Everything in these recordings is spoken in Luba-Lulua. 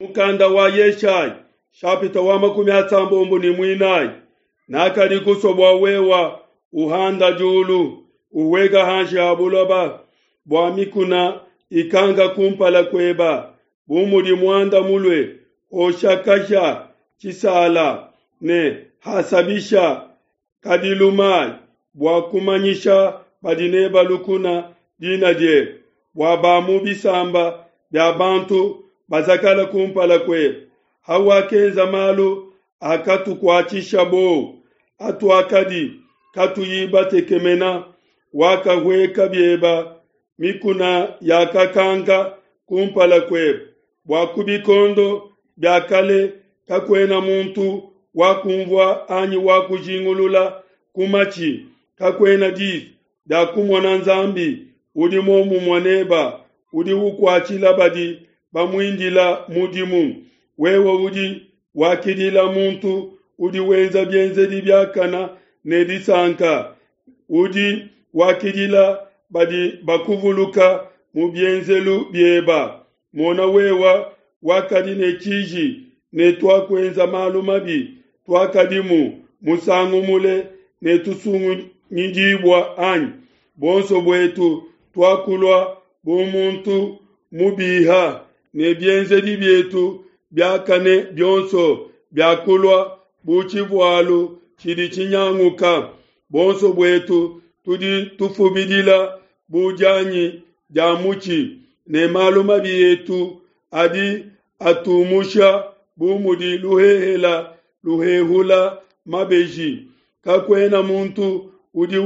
Mukanda wa Yeshayi shapita wa 34. Nakadi kusua bua wewa uhanda diulu, uweka hanshi ha buloba, bua mikuna ikanga kumpala kueba, bu mudi muanda mulue osha kahia tshisala ne hasabisha kadilu mayi, bua kumanyisha badi neba lukuna dina diebe, bua ba mu bisamba bia bantu bazakala kumpala kuebe. Hawakenza malu akatukuatshisha buowa, atuakadi katuyi batekemena, wakahueka bieba, mikuna yakakanka kumpala kuebe, bua ku bikondo bia kale kakuena muntu wakumvua anyi wakujingulula ku matshi, kakuena disu dia kumona Nzambi udi muomumue neba, udi ukuatshila badi bamuindila mudimu. Wewe udi wakidila muntu udi wenza bienzedi biakana ne disanka, udi wakidila badi bakuvuluka mu bienzelu bieba. Mona wewa wakadi ne tshiji ne tuakuenza malu mabi, tuakadimu musangu mule ne tusungidibua anyi? Bonso buetu tuakulua bu muntu mubiha, ne bienzedi bietu biakane bionso biakulua bu tshivualu tshidi tshinyanguka. Bonso buetu tudi tufubidila bu dianyi dia mutshi, ne malu mabi etu adi atumusha bu mudi luhehela luhehula mabeji. Kakuena muntu udi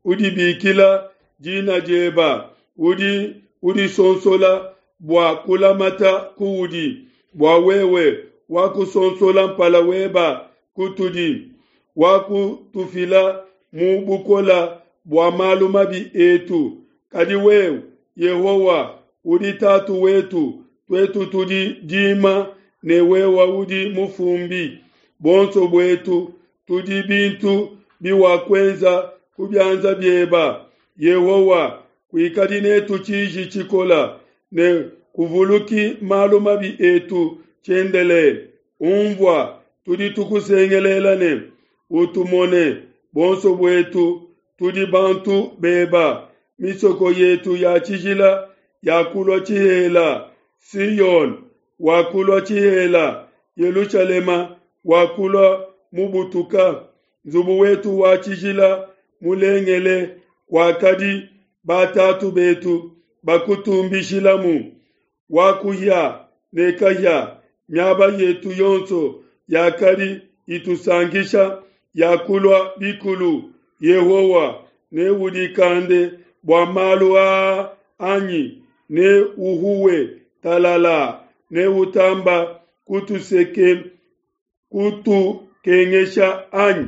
udibikila dina dieba, udi udisonsola bua kulamata kuudi, bua wewe wakusonsola mpala weba kutudi, wakutufila mu bukola bua malu mabi etu. Kadi wewe Yehowa udi tatu wetu, tuetu tudi dima ne wewe udi mufumbi. Bonso buetu tudi bintu biwakwenza ku bianza bieba. Yehowa, kuikadi netu tshiji tshikola, ne kuvuluki malu mabi etu tshiendelele. Umvua, tudi tukusengelela ne utumone. Bonso buetu tudi bantu beba. Misoko yetu ya tshijila yakulua tshihela, Sion wakulua tshihela, Yelushalema wakulua mubutuka. Nzubu wetu wa tshijila mulengele wakadi batatu betu bakutumbishilamu, wakuhia ne kahia. Miaba yetu yonso yakadi itusankisha yakulua bikulu. Yehowa, neudikande bua malu aa anyi? Neuhuwe talala, neutamba kutukengesha anyi?